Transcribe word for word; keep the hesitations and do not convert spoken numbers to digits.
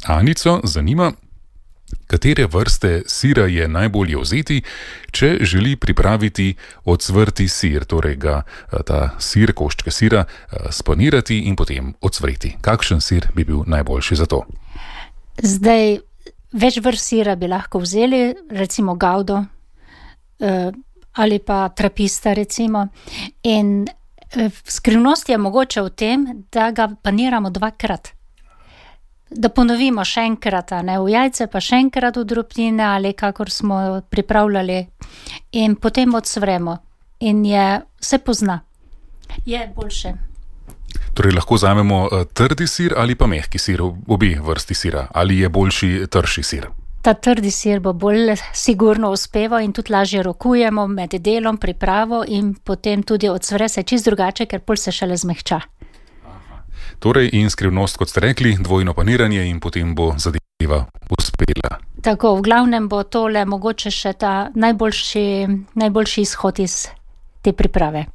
Anico zanima, katere vrste sira je najbolje vzeti, če želi pripraviti ocvrti sir, torej ga ta sir, koščke sira, spanirati in potem ocvreti. Kakšen sir bi bil najboljši za to? Zdaj, več vrst sira bi lahko vzeli, recimo gaudo ali pa trapista recimo. In skrivnost je mogoče v tem, da ga paniramo dvakrat. Da ponovimo še enkrat, ne, v jajce, pa še enkrat v drobtine ali kakor smo pripravljali in potem odsvremo. In je, se pozna. Je boljše. Torej lahko vzamemo trdi sir ali pa mehki sir, obe vrsti sira. Ali je boljši trši sir? Ta trdi sir bo bolj sigurno uspeval in tudi lažje rokujemo med delom, pripravo in potem tudi odsvre se čisto drugače, ker pol se šele zmehča. Torej in skrivnost, kot ste rekli, dvojno paniranje in potem bo zadeva uspela. Tako, v glavnem bo tole mogoče še ta najboljši, najboljši izhod iz te priprave.